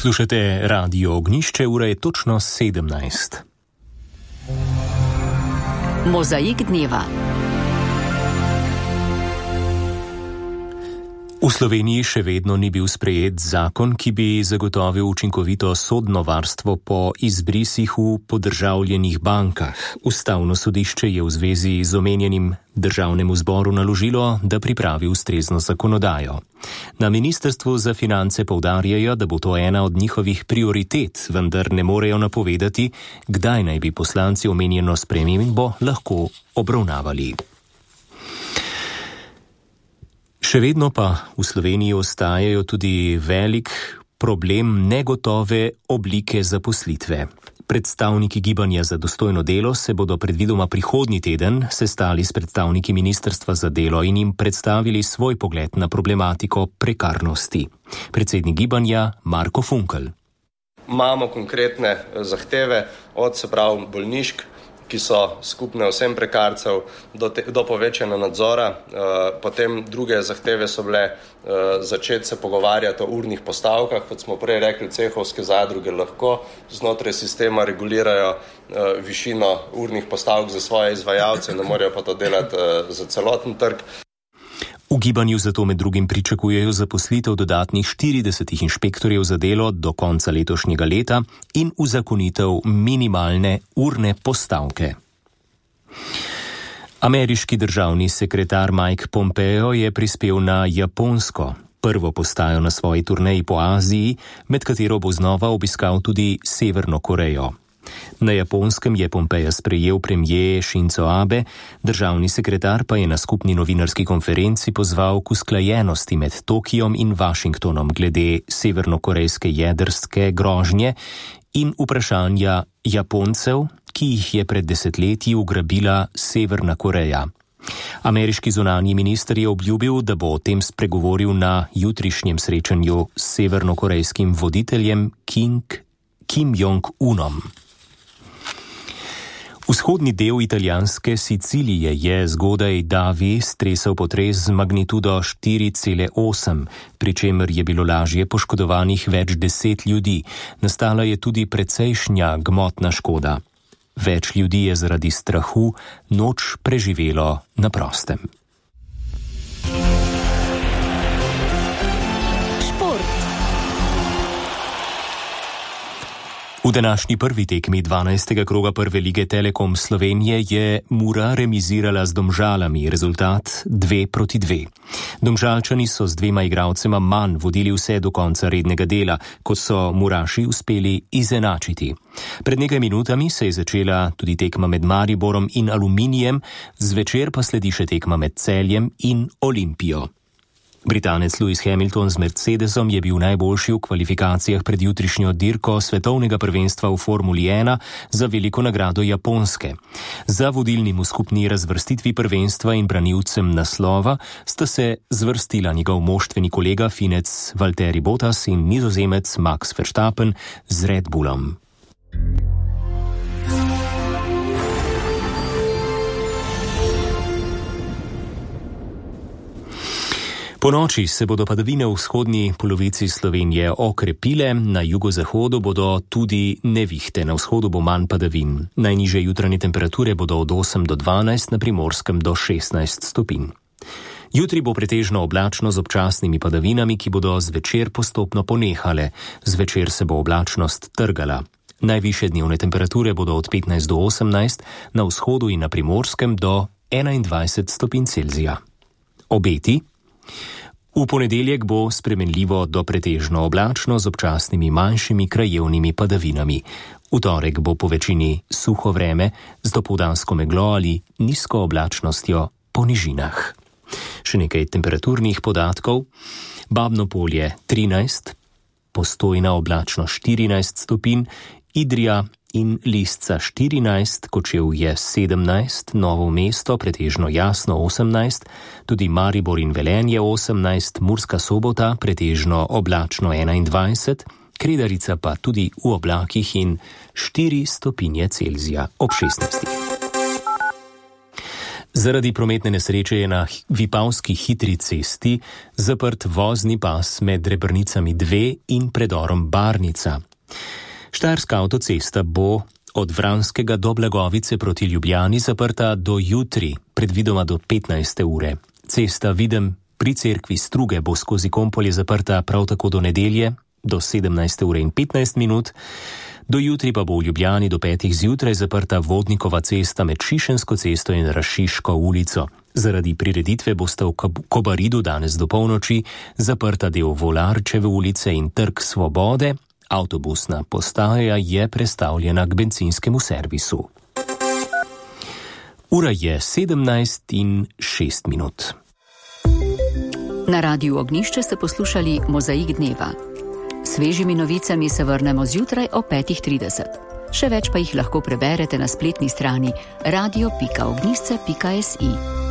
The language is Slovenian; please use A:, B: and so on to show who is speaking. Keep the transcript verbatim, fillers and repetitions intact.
A: Poslušate Radio Ognjišče, ura je točno sedemnajst.
B: Mozaik dneva.
A: V Sloveniji še vedno ni bil sprejet zakon, ki bi zagotovil učinkovito sodno varstvo po izbrisih v podržavljenih bankah. Ustavno sodišče je v zvezi z omenjenim državnemu zboru naložilo, da pripravi ustrezno zakonodajo. Na Ministrstvu za finance poudarjajo, da bo to ena od njihovih prioritet, vendar ne morejo napovedati, kdaj naj bi poslanci omenjeno spremembo lahko obravnavali. Še vedno pa v Sloveniji ostajajo tudi velik problem negotove oblike zaposlitve. Predstavniki Gibanja za dostojno delo se bodo predvidoma prihodnji teden sestali s predstavniki Ministrstva za delo in jim predstavili svoj pogled na problematiko prekarnosti. Predsednik Gibanja Marko Funkel.
C: Imamo konkretne zahteve od, se pravi, bolnišk, ki so skupne vsem prekarcev, do, te, do povečanja nadzora. E, potem druge zahteve so bile e, začeti se pogovarjati o urnih postavkah. Kot smo prej rekli, cehovske zadruge lahko znotraj sistema regulirajo e, višino urnih postavk za svoje izvajalce, ne morejo pa to delati e, za celoten trg.
A: V Gibanju zato med drugim pričakujejo zaposlitev dodatnih štiridesetih inšpektorjev za delo do konca letošnjega leta in uzakonitev minimalne urne postavke. Ameriški državni sekretar Mike Pompeo je prispel na Japonsko, prvo postajo na svoji turneji po Aziji, med katero bo znova obiskal tudi Severno Korejo. Na Japonskem je Pompeja sprejel premijer Shinzo Abe, državni sekretar pa je na skupni novinarski konferenci pozval k usklajenosti med Tokijom in Washingtonom glede severnokorejske jedrske grožnje in vprašanja Japoncev, ki jih je pred desetletji ugrabila Severna Koreja. Ameriški zunanji minister je obljubil, da bo o tem spregovoril na jutrišnjem srečanju s severnokorejskim voditeljem King, Kim Jong-unom. Vzhodni del italijanske Sicilije je zgodaj davi stresel potres z magnitudo štiri cela osem, pri čemer je bilo lažje poškodovanih več deset ljudi. Nastala je tudi precejšnja gmotna škoda. Več ljudi je zaradi strahu noč preživelo na prostem. V današnji prvi tekmi dvanajstega kroga prve lige Telekom Slovenije je Mura remizirala z Domžalami, rezultat dve proti dve. Domžalčani so z dvema igralcema manj vodili vse do konca rednega dela, kot so Muraši uspeli izenačiti. Pred nekaj minutami se je začela tudi tekma med Mariborom in Aluminijem, zvečer pa sledi še tekma med Celjem in Olimpijo. Britanec Lewis Hamilton z Mercedesom je bil najboljši v kvalifikacijah pred jutrišnjo dirko svetovnega prvenstva v Formuli ena za veliko nagrado Japonske. Za vodilnim v skupni razvrstitvi prvenstva in branilcem naslova sta se zvrstila njegov moštveni kolega Finec Valtteri Bottas in Nizozemec Max Verstappen z Red Bullom. Po noči se bodo padavine v vzhodni polovici Slovenije okrepile, na jugozahodu bodo tudi nevihte, na vzhodu bo manj padavin. Najnižje jutranje temperature bodo od osem do dvanajst, na Primorskem do šestnajst stopinj. Jutri bo pretežno oblačno z občasnimi padavinami, ki bodo zvečer postopno ponehale. Zvečer se bo oblačnost trgala. Najvišje dnevne temperature bodo od petnajst do osemnajst, na vzhodu in na Primorskem do enaindvajset stopinj Celzija. Obeti. V ponedeljek bo spremenljivo do pretežno oblačno z občasnimi manjšimi krajevnimi padavinami. V torek bo po večini suho vreme z dopoldansko meglo ali nizko oblačnostjo po nižinah. Še nekaj temperaturnih podatkov. Babno Polje trinajst, Postojna oblačno štirinajst stopinj, Idrija in Lisca štirinajst, Kočevje sedemnajst, Novo mesto pretežno jasno osemnajst, tudi Maribor in Velenje osemnajst, Murska Sobota pretežno oblačno enaindvajset, Kredarica pa tudi v oblakih in štiri stopinje Celzija ob šestnajstih. Zaradi prometne nesreče je na Vipavski hitri cesti zaprt vozni pas med Rebrnicami dve in predorom Barnica. Štajerska avtocesta bo od Vranskega do Blagovice proti Ljubljani zaprta do jutri, predvidoma do petnajste ure. Cesta Videm pri cerkvi Struge bo skozi Kompolje zaprta prav tako do nedelje, do sedemnajste ure in petnajst minut. Do jutri pa bo v Ljubljani do petih zjutraj zaprta Vodnikova cesta med Šišensko cesto in Rašiško ulico. Zaradi prireditve bosta v Kobaridu danes do polnoči zaprta del Volarčeve ulice in Trg Svobode. Avtobusna postaja je prestavljena k bencinskemu servisu. Ura je sedemnajst in šest minut.
B: Na Radiu Ognjišče ste poslušali Mozaik dneva. Svežimi novicami se vrnemo zjutraj o petih trideset. Še več pa jih lahko preberete na spletni strani radio pika ognjišče pika si.